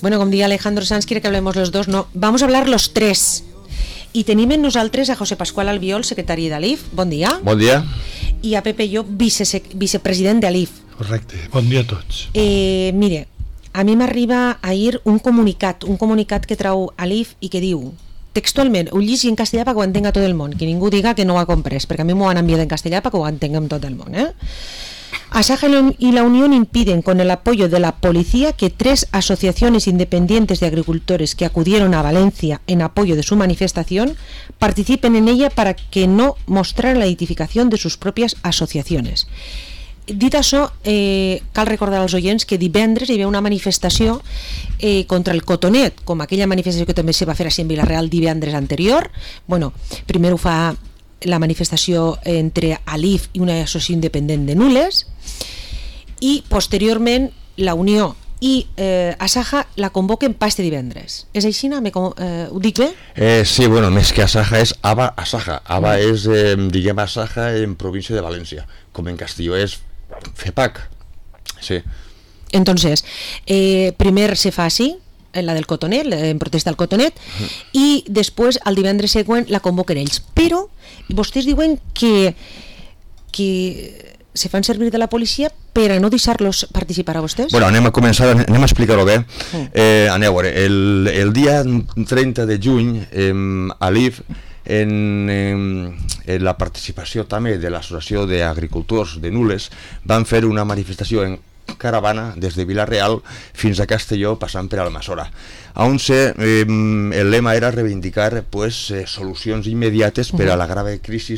Bueno, com dia Alejandro Sanz, quiere que hablemos los dos, no, vamos a hablar los tres. I tenim en nosaltres a José Pascual Albiol, secretari d'Alif, bon dia. Bon dia. I a Pepe Llop, vicepresident d'Alif. Correcte, bon dia a tots. Mire, a mi m'arriba ahir un comunicat que trau Alif i que diu, textualment, ho llegeixo en castellà perquè ho entenga tot el món, que ningú diga que no ho ha comprès, perquè a mi m'ho han enviat en castellà perquè ho entenguem tot el món, Asaja y la Unión impiden, con el apoyo de la policía, que 3 asociaciones independientes de agricultores que acudieron a Valencia en apoyo de su manifestación participen en ella para que no mostraran la identificación de sus propias asociaciones. Dit això, cal recordar als oients que divendres hi havia una manifestació contra el cotonet, com aquella manifestació que també se va fer així en Vila-real divendres anterior. Bueno, primer ho fa la manifestació entre Alif i una associació independent de Nules, i posteriorment la Unió i Asaja la convoquen pas este divendres. És així? Ho dic bé? Sí, bueno, més que Asaja és Aba Asaja. Aba és, diguem, Asaja en província de València, com en castelló és FEPAC. Sí. Entonces, primer se fa així, la del cotonet, en protesta al cotonet, i després, el divendres següent, la convoquen ells. Però vostès diuen que se fan servir de la policia per a no deixar-los participar a vostès? Bueno, anem a explicar-ho bé. Aneu a veure, el dia 30 de juny, Alif, en la participació també de l'Associació d'Agricultors de Nules, van fer una manifestació en caravana des de Vila-real fins a Castelló, passant per Almassora, on el lema era reivindicar solucions immediates per a la grave crisi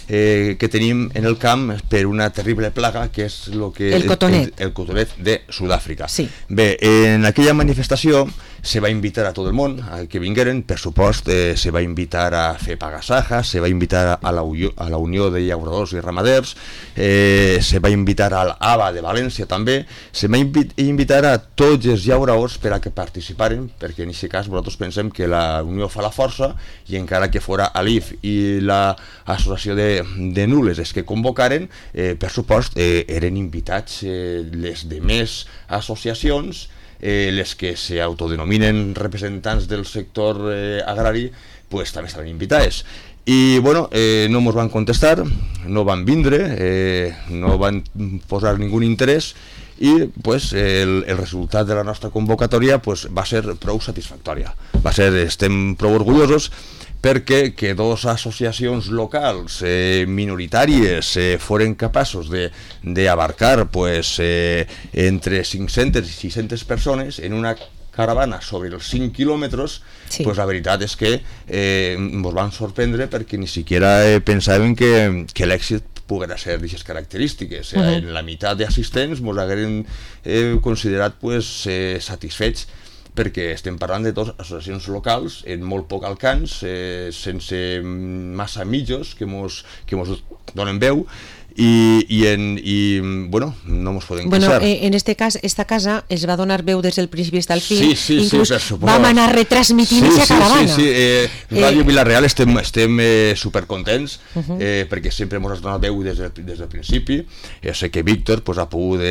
que tenim en el camp per una terrible plaga que és el cotonet de Sud-àfrica. Sí. Bé, en aquella manifestació se va invitar a tot el món que vingueren, per supost se va invitar a FEPAG-Asaja, se va invitar a la Unió de Llauradors i Ramaders, se va invitar a l'ABA de València també, se va invitar a tots els llauradors per a que participaren, perquè en aquest cas nosaltres pensem que la Unió fa la força i encara que fora Alif i l'associació de Nules els que convocaren, per supost eren invitats les demés associacions, les que s'autodenominen representants del sector agrari, també estaven invitades. I bueno, no ens van contestar, no van vindre, no van posar ningú interès, i el resultat de la nostra convocatòria va ser prou satisfactòria. Estem prou orgullosos perquè que 2 associacions locals minoritàries foren capaços d'abarcar entre 500 i 600 persones en una caravana sobre els 5 quilòmetres, la veritat és que ens van sorprendre perquè ni siquiera pensàvem que l'èxit poguera ser d'aquestes característiques. En la meitat d'assistents ens hagueren considerat satisfets, perquè estem parlant de 2 associacions locals en molt poc alcance, sense massa mitjos que ens donen veu, i bueno, no ens podem queixar. En este cas, esta casa es va donar veu des del principi fins al fin, inclús vam anar retransmitint aquesta caravana. Sí, Ràdio Vila-real estem supercontents, perquè sempre ens ha donat veu des del principi. Sé que Víctor ha pogut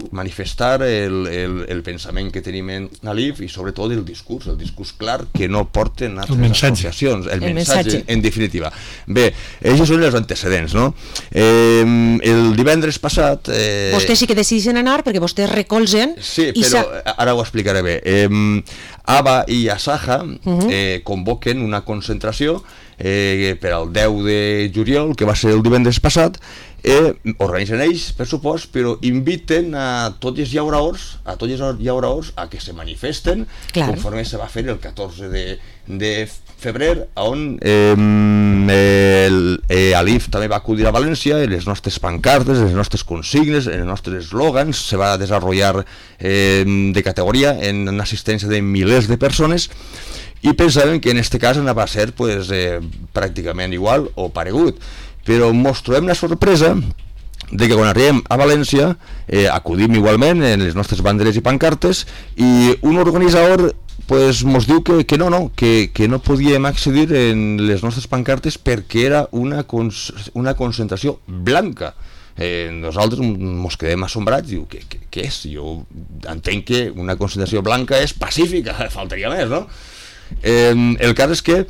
manifestar el pensament que tenim en Alif i sobretot el discurs clar que no porten altres associacions, el missatge en definitiva. Bé, aquests són els antecedents, no? El divendres passat... Vostès sí que decideixen anar perquè vostès recolzen... Sí, però ara ho explicaré bé. ABA i Asaja convoquen una concentració per al 10 de juliol, que va ser el divendres passat, organitzen ells, per supost, però inviten a tots els llauradors a que se manifesten, conforme se va fer el 14 de febrer, on Alif també va acudir a València, en les nostres pancartes, en les nostres consignes, en els nostres eslògans, se va desenvolupar de categoria en assistència de milers de persones, i pensàvem que en aquest cas anava a ser pràcticament igual o paregut, però ens trobem la sorpresa de que quan arribem a València acudim igualment en les nostres banderes i pancartes, i un organitzador ens diu que no podíem accedir en les nostres pancartes perquè era una concentració blanca. Nosaltres ens quedem assombrats, diu, què és? Jo entenc que una concentració blanca és pacífica, faltaria més, no? El cas és que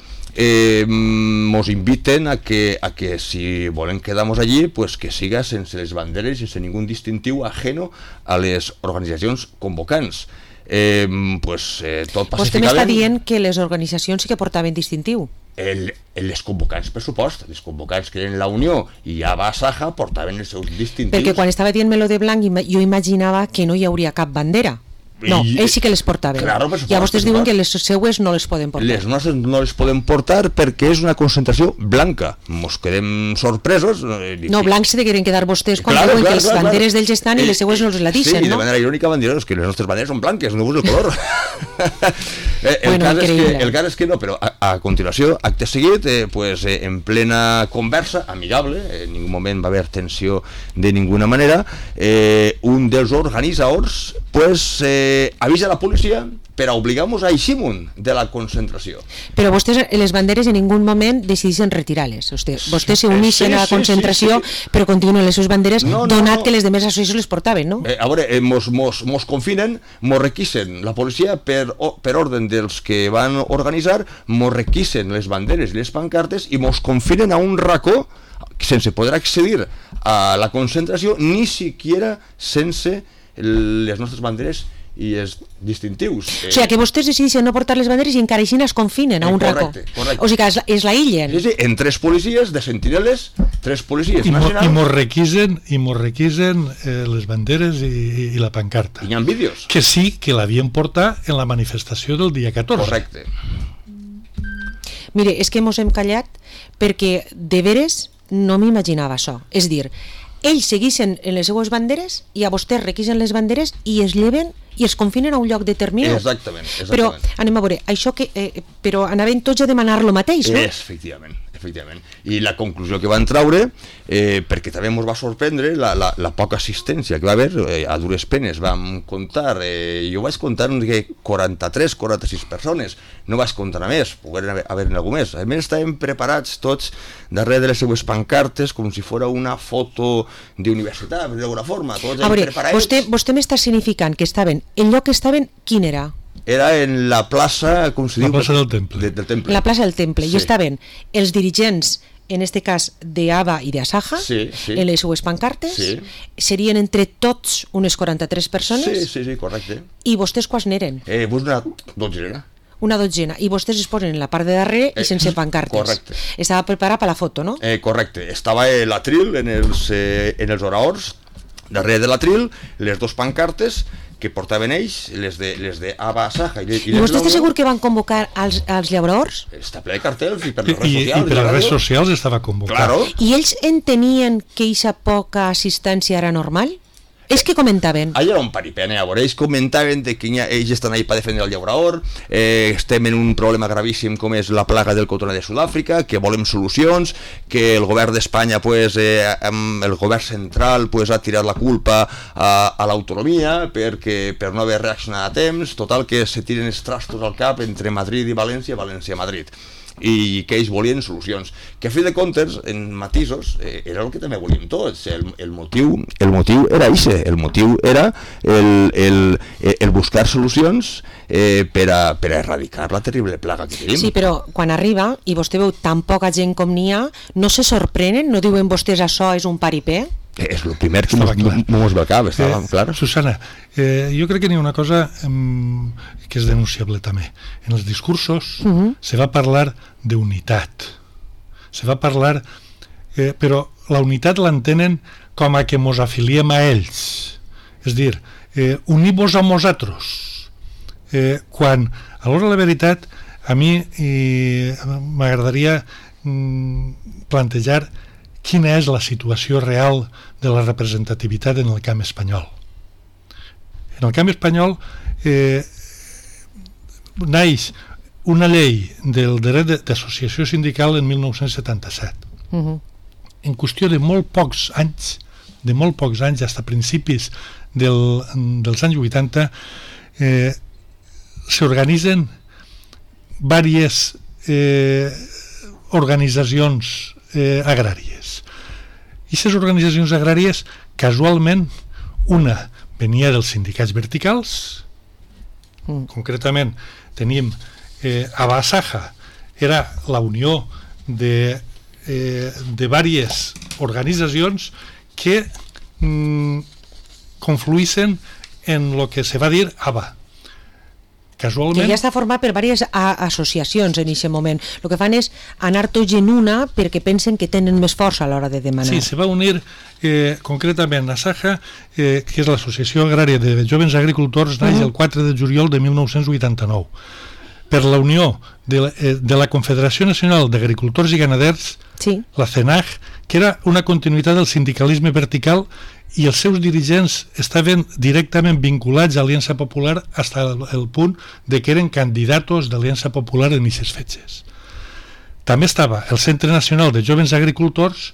nos inviten a que si volen quedar-nos allí, pues que siga sense les banderes i sense ningú distintiu ajeno a les organitzacions convocants. Tot pacíficament. Vostè m'està dient que les organitzacions sí que portaven distintiu. Les convocants, per supost, les convocants que eren la Unió i Aba Saja portaven els seus distintius. Perquè quan estava dient-me lo de blanc jo imaginava que no hi hauria cap bandera. No, ells sí que les portaven. Claro, i a vostès diuen que les seues no les poden portar. Les nostres no les poden portar perquè és una concentració blanca. Mos quedem sorpresos. No, blancs se degueren quedar vostès quan diuen que les banderes d'ells estan i les seues no les la deixen, sí, no? Sí, de manera irònica van dir que les nostres banderes són blanques, no veus el color. El cas és que no, però a continuació, acte seguit, en plena conversa, amigable, en ningú moment va haver tensió de ninguna manera, un dels organitzadors avisa a la policia per a obligar-nos a eixir-nos de la concentració. Però vostès, les banderes, en ningú moment decideixen retirar-les. Vostès s'uneixen a la concentració, però continuen les seves banderes, donat que les demés associacions les portaven, no? A veure, mos confinen, mos requisen la policia per ordre dels que van organitzar, mos requisen les banderes i les pancartes i mos confinen a un racó sense poder accedir a la concentració, ni siquiera sense les nostres banderes i els distintius. O sigui, que vostès decideixen no portar les banderes i encara així es confinen a un racó. Correcte. O sigui, que es l'aïllen. Sí, en 3 policies de sentineles, 3 policies nacionals. I mos requisen les banderes i la pancarta. I hi ha vídeos. Que sí que l'havien portat en la manifestació del dia 14. Correcte. Mire, és que mos hem callat perquè de veres no m'imaginava això. És dir, ells segueixen en les seues banderes i a vostès requisen les banderes i es lleven i es confinen a un lloc determinat. Exactament. Però anem a veure, això que però anaven tots a demanar lo mateix, no? Efectivament. I la conclusió que van traure, perquè també ens va sorprendre la poca assistència que va haver, a dures penes vam comptar, jo vaig comptar que 43-46 persones, no vaig comptar a més, pogueren haver algú més. A més estàvem preparats tots darrere de les seues pancartes com si fos una foto d'universitat, d'alguna forma, tots preparats. Vostè m'està significant que estaven, el lloc que estaven, quin era? Era en la plaça, com se diu? La plaça del Temple. La plaça del Temple, sí. I estaven els dirigents, en este cas d'ABA i d'Asaja, sí. En les seues pancartes, sí. Serien entre tots unes 43 persones. Sí, correcte. I vostès quants n'eren? Una dotzena. Una dotzena, i vostès es posen en la part de darrere i sense pancartes. Correcte. Estava preparat per la foto, no? Correcte, estava l'atril en els oraors, darrere de l'atril, les 2 pancartes que portaven ells, les de Aba Saja i vostè està segur que van convocar als llabraors? Està ple de cartells i per les redes socials. I per les redes socials estava convocat. Claro. I ells entenien que aquesta poca assistència era normal? Ells què comentaven? Allà era un paripé, a veure, ells comentaven que ells estan ahí per defendre el llauraor, estem en un problema gravíssim com és la plaga del cotoner de Sud-àfrica, que volem solucions, que el govern d'Espanya, el govern central, ha tirat la culpa a l'autonomia per no haver reaccionat a temps, total que se tiren els trastos al cap entre Madrid i València, València-Madrid. I que ells volien solucions, que a fi de comptes, en matisos, era el que també volíem tots. El motiu era això, el motiu era el buscar solucions per a erradicar la terrible plaga que tenim. Sí, però quan arriba i vostè veu tan poca gent com n'hi ha, no se sorprenen? No diuen vostès això és un paripé? És el primer que mos ve al cap, estava clar. Susana, jo crec que n'hi ha una cosa que és denunciable també. En els discursos se va parlar d'unitat. Se va parlar, però la unitat l'entenen com a que mos afiliem a ells. És dir, unim-vos a nosaltres. Quan, a l'hora de la veritat, a mi m'agradaria plantejar quina és la situació real de la representativitat en el camp espanyol. En el camp espanyol naix una llei del dret d'associació sindical en 1977. En qüestió de molt pocs anys, fins a principis dels anys 80, s'organitzen diverses organitzacions agràries aquestes organitzacions agràries, casualment, una venia dels sindicats verticals, concretament tenim Abasaja, era la unió de diverses organitzacions que confluïssen en el que se va dir ABA. Casualment... Que ja està format per diverses associacions en aquest moment. El que fan és anar tots en una perquè pensen que tenen més força a l'hora de demanar. Sí, se va unir concretament Asaja, que és l'Associació Agrària de Jovens Agricultors, naix el 4 de juliol de 1989. Per la unió de la Confederació Nacional d'Agricultors i Ganaders, sí, la CENAG, que era una continuïtat del sindicalisme vertical, i els seus dirigents estaven directament vinculats a Aliança Popular fins al punt de que eren candidatos d'Aliança Popular en aquestes fetges. També estava el Centre Nacional de Jovens Agricultors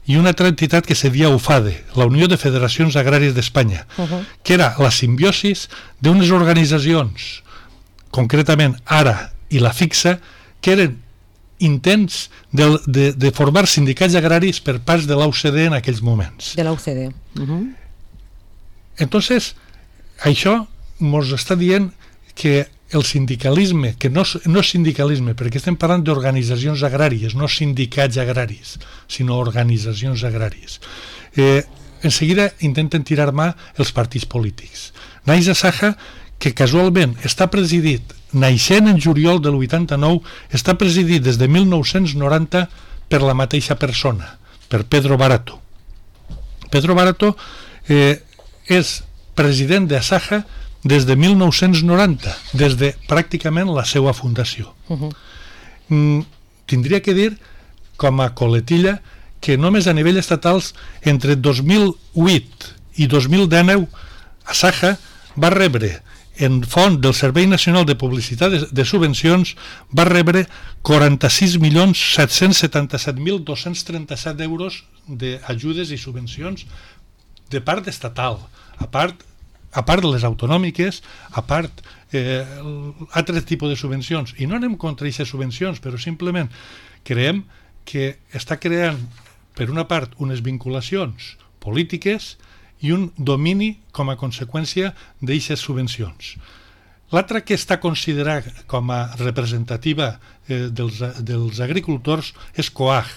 i una altra entitat que se deia UFADE, la Unió de Federacions Agràries d'Espanya, que era la simbiosis d'unes organitzacions, concretament ARA i la FIXA, que eren intents de formar sindicats agraris per parts de l'OCDE en aquells moments. De l'OCDE. Entonces, això ens està dient que el sindicalisme, que no és sindicalisme, perquè estem parlant d'organitzacions agràries, no sindicats agraris, sinó organitzacions agràries. En seguida intenten tirar mà els partits polítics. Naix Asaja, que casualment està presidit, naixent en juliol del 89, està presidit des de 1990 per la mateixa persona, per Pedro Barato. Pedro Barato és president d'Asaja des de 1990, des de pràcticament la seva fundació. Tindria que dir, com a coletilla, que només a nivell estatals, entre 2008 i 2019, Asaja va rebre en font del Servei Nacional de Publicitat de Subvencions, va rebre 46.777.237 euros d'ajudes i subvencions de part estatal, a part de les autonòmiques, a part altres tipus de subvencions. I no anem contra aquestes subvencions, però simplement creiem que està creant, per una part, unes vinculacions polítiques i un domini com a conseqüència d'aquestes subvencions. L'altra que està considerada com a representativa dels agricultors és COAG.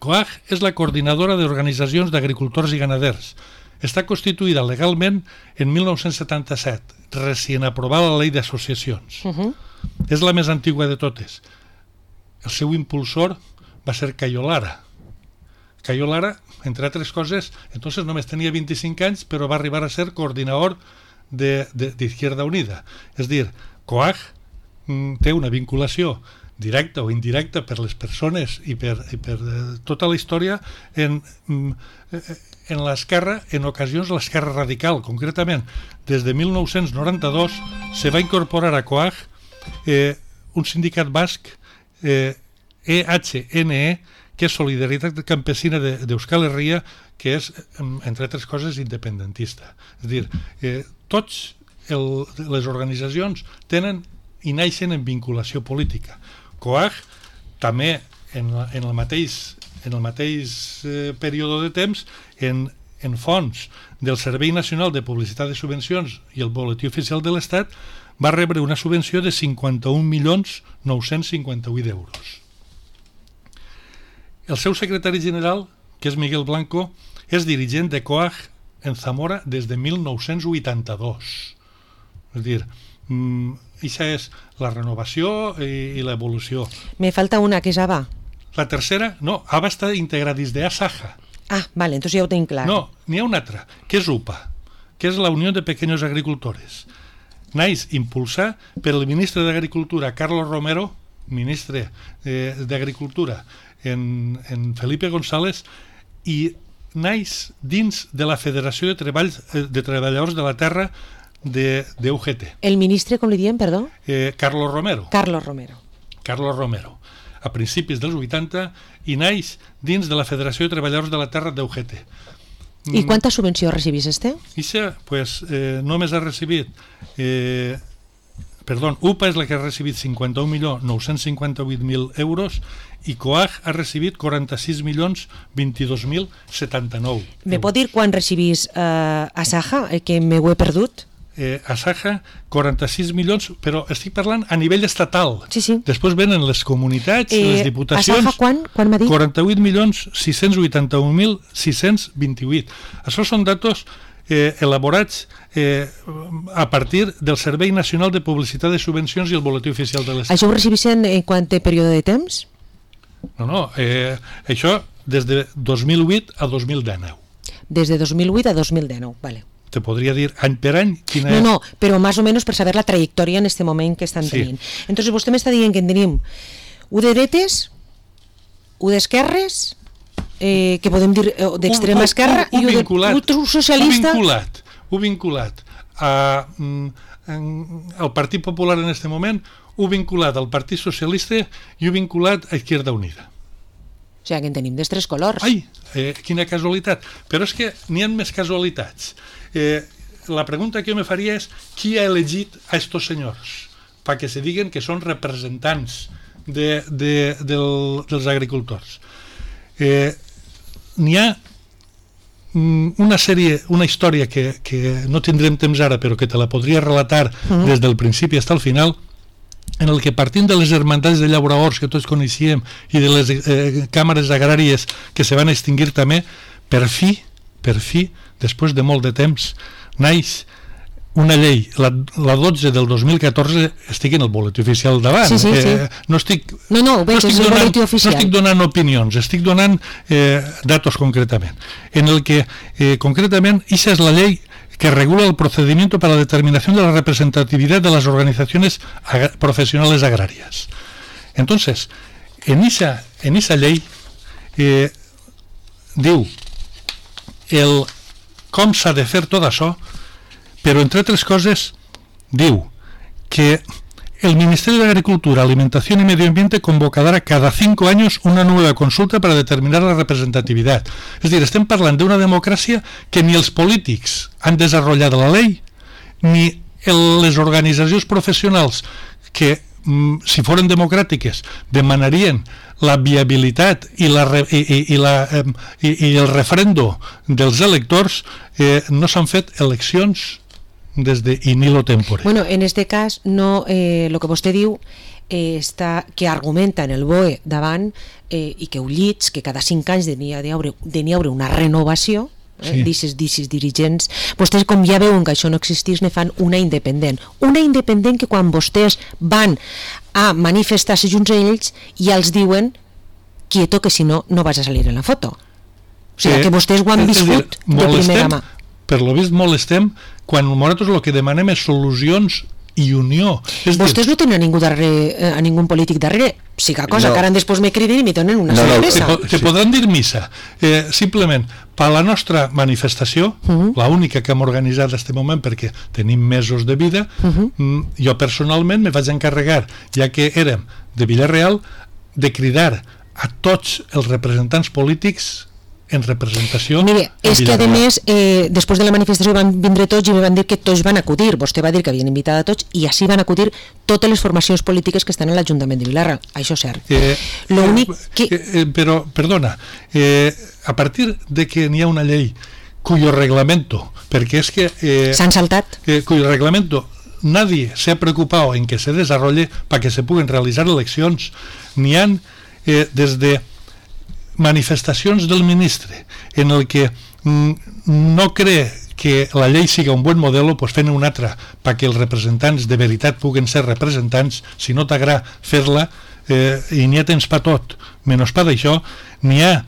COAG és la Coordinadora d'Organitzacions d'Agricultors i Ganaders. Està constituïda legalment en 1977, recient aprovada la llei d'associacions. És la més antiga de totes. El seu impulsor va ser Cayo Lara. Cayo Lara, entre altres coses, entonces només tenia 25 anys, però va arribar a ser coordinador d'Izquierda Unida. És dir, COAG té una vinculació directa o indirecta per les persones i per tota la història en l'esquerra, en ocasions l'esquerra radical. Concretament, des de 1992 se va incorporar a COAG un sindicat basc, EHNE, que és Solidaritat Campesina d'Euskal Herria, que és, entre altres coses, independentista. És a dir, tots les organitzacions tenen i naixen en vinculació política. COAG també en el mateix període de temps en fons del Servei Nacional de Publicitat de Subvencions i el Boletí Oficial de l'Estat va rebre una subvenció de 51.958 euros. El seu secretari general, que és Miguel Blanco, és dirigent de COAG en Zamora des de 1982. És a dir, això és la renovació i l'evolució. Me falta una, que és ABA. La tercera, no, ABA està integrada dins d'Asaja. Ah, vale, entonces ja ho tinc clar. No, n'hi ha una altra, que és UPA, que és la Unió de Pequeños Agricultores. Naix impulsar per el ministre d'Agricultura, Carlos Romero, ministre d'Agricultura, en Felipe González, i naix dins de la Federació de Treballadors de la Terra d'UGT. El ministre, com li diem, perdó? Carlos Romero. Carlos Romero. Carlos Romero, a principis dels 80, i naix dins de la Federació de Treballadors de la Terra d'UGT. I quanta subvenció recibís este? Ixa, pues, només ha recibit UPA és la que ha recibit 51.958.000 euros i COAG ha recibit 46.022.079. Me pot dir quan recibís Asaja, que me ho he perdut? Asaja, 46 milions, però estic parlant a nivell estatal. Sí. Després venen les comunitats, les diputacions... Asaja quan m'ha dit? 48.681.628. Això són datos elaborats a partir del Servei Nacional de Publicitat de Subvencions i el Boletí Oficial de l'Estat. Això ho recibissin en quant de període de temps? No, això des de 2008 a 2019. Des de 2008 a 2019, vale. Te podria dir any per any quina és... No, però més o menys per saber la trajectòria en este moment que estan tenint. Entonces vostè m'està dient que en tenim u de dretes, u d'esquerres, que podem dir d'extrema esquerra, i u socialista... U vinculat al Partit Popular en este moment, u vinculat al Partit Socialista i u vinculat a Izquierda Unida. O sigui, que en tenim dels tres colors. Ai, quina casualitat. Però és que n'hi ha més casualitats. La pregunta que jo me faria és qui ha elegit a estos senyors perquè se diguen que són representants dels agricultors. N'hi ha una història que no tindrem temps ara però que te la podria relatar des del principi fins al final, en el que partint de les hermandats de llauraors que tots coneixíem i de les càmeres agràries que se van extingir també, per fi, després de molt de temps, naix una llei, la 12 del 2014, estic en el boletí oficial davant. Sí. No estic donant opinions, estic donant datos concretament. En el que, concretament, esa és la llei que regula el procedimiento para la determinación de la representatividad de las organizaciones profesionales agrarias. Entonces, en esa ley diu com s'ha de fer tot això, però entre altres coses diu que el Ministerio de Agricultura, Alimentación y Medio Ambiente convocará cada 5 años una nueva consulta para determinar la representatividad. És a dir, estem parlant d'una democràcia que ni els polítics han desenvolupat la llei, ni les organitzacions professionals que, si foren democràtiques, demanarien la viabilitat i el referendo dels electors, no s'han fet eleccions des de in illo tempore. Bueno, en este cas, no, lo que vostè diu que argumenta en el BOE davant i que ho llits, que cada 5 anys n'hi ha d'haver una renovació d'aquests dirigents. Vostès, com ja veuen que això no existís, ne fan una independent que quan vostès van a manifestar-se junts a ells ja els diuen quieto, que si no, no vas a salir en la foto. O sigui, que vostès ho han viscut de primera mà. Per lo vist molestem quan nosaltres el que demanem és solucions i unió. Vostès no tenen a ningú polític darrere, siga cosa que ara després me criden i me donen una sorpresa. Te podran dir missa. Simplement, per la nostra manifestació, l'única que hem organitzat en aquest moment perquè tenim mesos de vida, jo personalment me vaig encarregar, ja que érem de Villarreal, de cridar a tots els representants polítics en representació. Mire, és que a més, després de la manifestació van vindre tots i me van dir que tots van acudir. Vostè va dir que havien invitat a tots i així van acudir totes les formacions polítiques que estan a l'Ajuntament de Vilarra. Això és cert. Però, perdona, a partir de que n'hi ha una llei cuyo reglamento, perquè és que... s'han saltat. Cuyo reglamento nadie se ha preocupado en que se desarrolle para que se puedan realizar eleccions. N'hi ha desde manifestacions del ministre en el que no cree que la llei siga un bon model, pues fent una altra perquè els representants de veritat puguen ser representants. Si no t'agrada fer-la, i n'hi ha temps per tot, menys per això, n'hi ha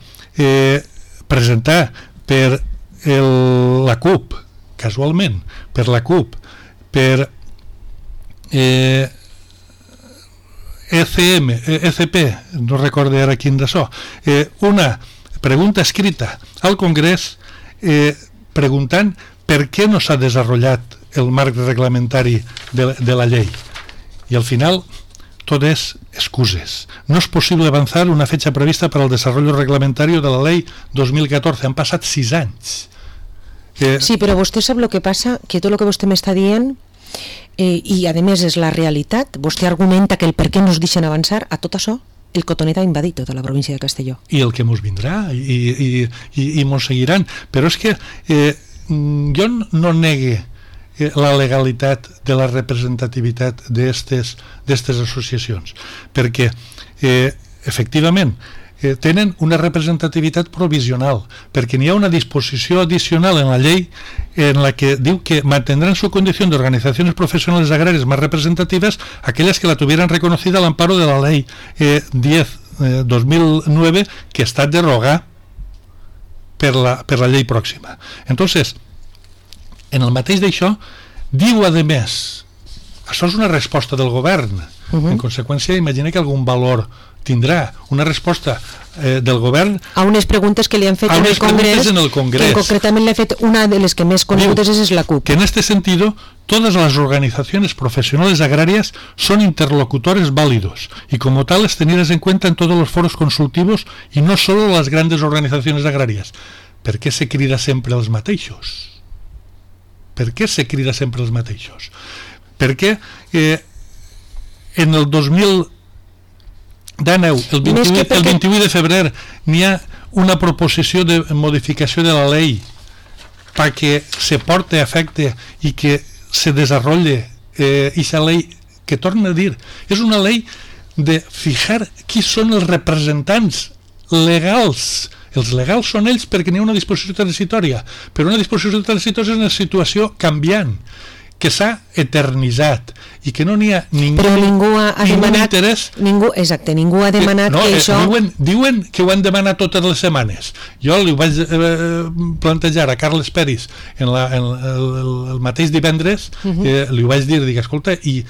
presentar per la CUP, casualment, per la CUP, per ECP, no recordo ara quin d'això, una pregunta escrita al Congrés preguntant per què no s'ha desenvolupat el marc reglamentari de la llei. I al final tot és excuses. No és possible avançar una fecha prevista para el desarrollo reglamentario de la ley 2014. Han passat 6 anys. Sí, però vostè sap el que passa, que tot el que vostè m'està dient i a més és la realitat. Vostè argumenta que el per què no es deixen avançar. A tot això el cotonet ha invadit tota la província de Castelló. I el que mos vindrà, i mos seguiran. Però és que jo no negue la legalitat de la representativitat d'estes associacions, perquè efectivament tenen una representativitat provisional, perquè n'hi ha una disposició adicional en la llei en la que diu que mantendrán su condición de organizaciones profesionales agrarias más representativas aquellas que la tuvieran reconocida al amparo de la ley 10/2009, que està derogada per la llei pròxima. Entonces, en el mateix d'això, diu a més, això és una resposta del govern. En conseqüència, imagina que algun valor tindrà una resposta del govern a unes preguntes que li han fet en el Congrés, que concretament le ha fet una de les que més conegudes és la CUP. Que en este sentido, todas las organizaciones profesionales agrarias son interlocutores válidos y como tales tenidas en cuenta en todos los foros consultivos y no solo las grandes organizaciones agrarias. Per què se crida sempre els mateixos? Per què se crida sempre els mateixos? Perquè en el 2019, el 28 de febrer, n'hi ha una proposició de modificació de la llei perquè se porte a efecte i que se desenvolupe aquesta llei, que torna a dir, és una llei de fijar qui són els representants legals. Els legals són ells perquè n'hi ha una disposició transitòria, però una disposició transitòria és una situació canviant, que s'ha eternitzat i que no n'hi ha ningú interès. Ningú ha demanat que això... Diuen que ho han demanat totes les setmanes. Jo li ho vaig plantejar a Carles Peris el mateix divendres, li ho vaig dir, dic, escolta, i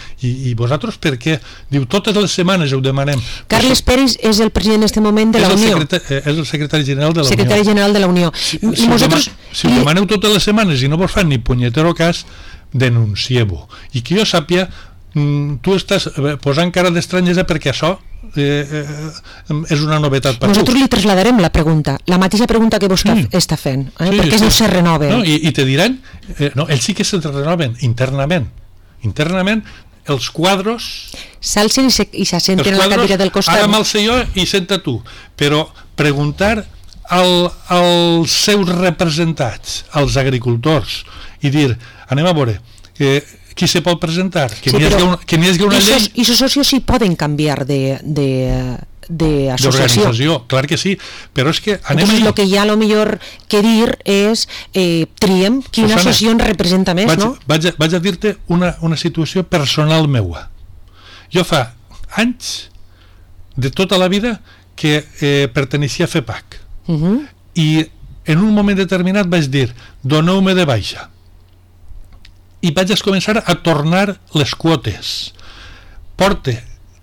vosaltres per què? Diu, totes les setmanes ho demanem. Carles Peris és el president en aquest moment de la Unió. És el secretari general de la Unió. Secretari general de la Unió. Si ho demaneu totes les setmanes i no vos fan ni punyetero cas, denuncieu-ho. I que jo sàpia, tu estàs posant cara d'estranyesa perquè això és una novetat per tu. Nosaltres li trasladarem la pregunta, la mateixa pregunta que vostè està fent, perquè no se renoven. I te diran, ells sí que se renoven internament, els quadros s'alcen i s'assenten en la cadira del costat. Ara me'l sé jo i senta tu, però preguntar als seus representats, als agricultors, i dir, anem a veure, qui se pot presentar? Que n'hi hagi una llei... I els socios sí poden canviar d'associació. Clar que sí, però és que... Entonces el que hi ha a lo millor que dir és triem quina associació ens representa més, no? Vaig a dir-te una situació personal meua. Jo fa anys, de tota la vida, que perteneixia a FEPAC. I en un moment determinat vaig dir, doneu-me de baixa. I vaig començar a tornar les quotes. Porta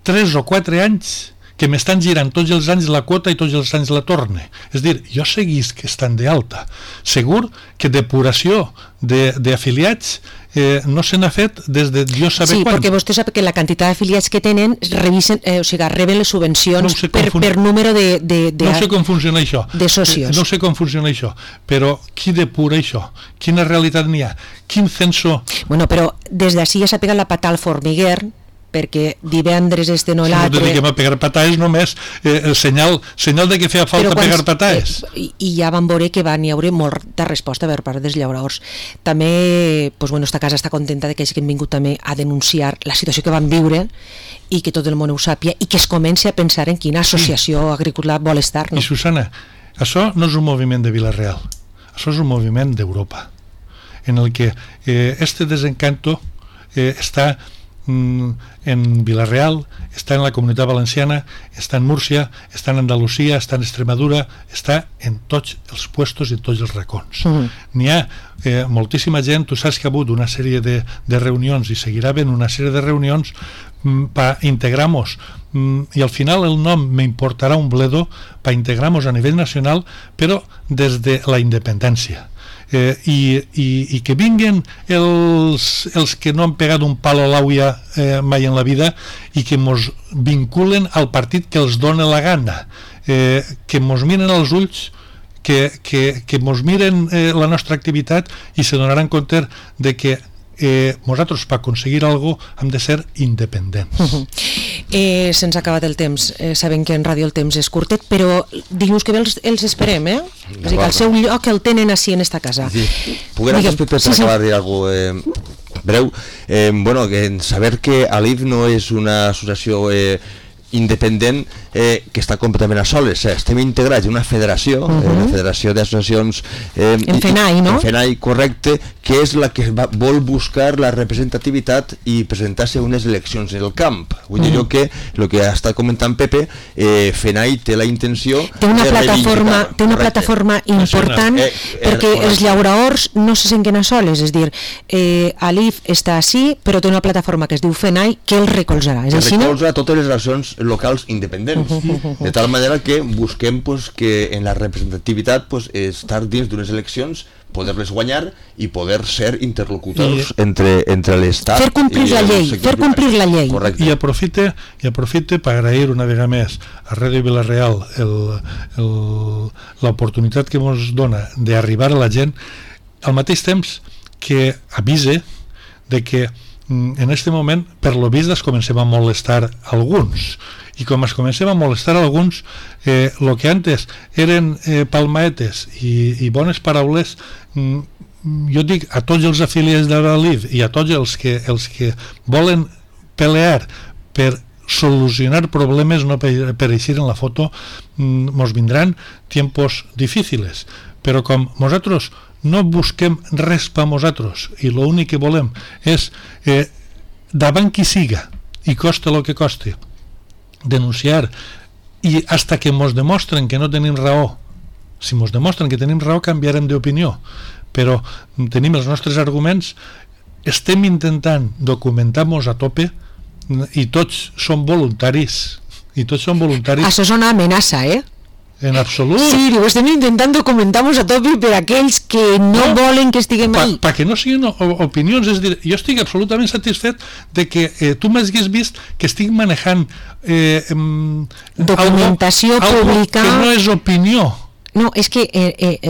3 o 4 anys que m'estan girant tots els anys la quota i tots els anys la torne. És dir, jo seguisc estant d'alta. Segur que depuració d'afiliats no se n'ha fet des de jo saber quan. Sí, perquè vostè sap que la quantitat d'afiliats que tenen reben les subvencions per número de no sé com funciona això. De socios. No sé com funciona això, però qui depura això? Quina realitat n'hi ha? Quin censo? Bueno, però des d'ací ja s'ha pegat la pata al formiguer, perquè divendres no l'altre... Si no dediquem a pegar pataes només, senyal de que feia falta pegar pataes. I ja vam veure que van hi haure molta resposta per part dels llauradors. També, esta casa està contenta de que hagin vingut també a denunciar la situació que van viure i que tot el món ho sàpia i que es comenci a pensar en quina associació agrícola vol estar. I Susana, això no és un moviment de Vila-real, això és un moviment d'Europa, en el que este desencanto està en Vila-real, està en la Comunitat Valenciana, està en Múrcia, està en Andalusia, està en Extremadura, està en tots els puestos i en tots els racons. N'hi ha moltíssima gent, tu saps que ha hagut una sèrie de reunions i seguirà havent una sèrie de reunions per integrar-nos, i al final el nom m'importarà un bledo, per integrar-nos a nivell nacional, però des de la independència. I que vinguen els que no han pegat un palo a l'àuia mai en la vida i que mos vinculen al partit que els dona la gana, que mos miren als ulls, que mos miren la nostra activitat i se donaran compte de que nosaltres per aconseguir alguna cosa hem de ser independents. Se'ns ha acabat el temps, sabem que en ràdio el temps és curtet, però dilluns que ve els esperem, eh? És a dir, que el seu lloc el tenen així en esta casa. Sí. Poguera per acabar de dir alguna cosa breu, bueno, saber que ALIF no és una associació independent que està completament a soles, estem integrats en una federació, la Federació d'Associacions en FENAI, no? En FENAI, correcte, que és la que vol buscar la representativitat i presentar-se a unes eleccions en el camp. Vull dir jo que el que està comentant Pepe, FENAI té la intenció té una plataforma important perquè els llauraors no se senten a soles, és dir, ALIF està així, però té una plataforma que es diu FENAI que el recolzarà. Que recolza totes les relacions locals independents, de tal manera que busquem que en la representativitat estar dins d'unes eleccions, poder-les guanyar i poder ser interlocutors entre l'Estat, fer complir la llei. I aprofite per agrair una vegada més a Ràdio Vila-real l'oportunitat que ens dona d'arribar a la gent, al mateix temps que avise de que en aquest moment per lo vist es comencem a molestar alguns, i com es comencem a molestar alguns, el que antes eren palmaetes i bones paraules, jo dic a tots els afiliats de l'ALIF i a tots els que volen pelear per solucionar problemes, no per eixir en la foto, mos vindran tiempos difíciles, però com nosaltres no busquem res per nosaltres i l'únic que volem és davant qui siga i costa el que costi denunciar, i hasta que mos demostren que no tenim raó. Si mos demostren que tenim raó, canviarem d'opinió, però tenim els nostres arguments, estem intentant documentar-nos a tope i tots són voluntaris. Això és una amenaça, En absolut. Sí, ho estem intentant documentar-nos a tope per aquells que no volen que estiguem ahí. Perquè no siguin opinions, és dir, jo estic absolutament satisfet de que tu m'hagués vist que estic manejant documentació pública que no és opinió. No, és que,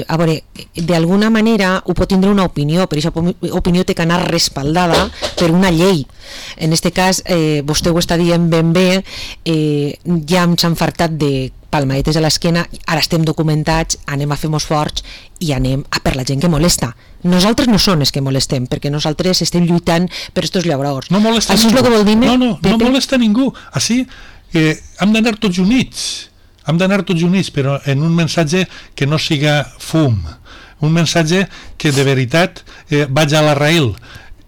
a veure, d'alguna manera ho pot tindre una opinió, però aquesta opinió té que anar respaldada per una llei. En aquest cas, vostè ho està dient ben bé, ja ens han fartat de palmadetes a l'esquena, ara estem documentats, anem a fer-nos forts i anem a per la gent que molesta. Nosaltres no som els que molestem, perquè nosaltres estem lluitant per estos llauraors. No molesta ningú. Això és el que vol dir-me? No molesta ningú. Així hem d'anar tots units. Però en un mensatge que no siga fum, un mensatge que de veritat vaig a l'arraïl.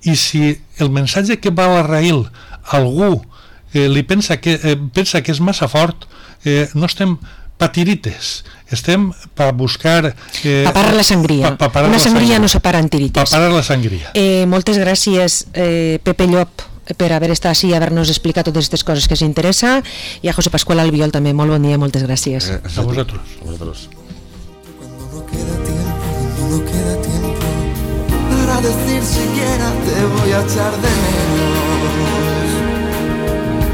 I si el mensatge que va a l'arraïl algú li pensa que és massa fort, no estem patirites, estem per buscar pa parar la sangria. Una sangria no se para en tirites. Pa parar la sangria. Moltes gràcies, Pepe Llop, per haver estat així i haver-nos explicat totes aquestes coses que s'interessa, i a José Pascual Albiol també, molt bon dia, moltes gràcies. A vosaltres. Cuando no queda tiempo para decir siquiera te voy a echar de menos.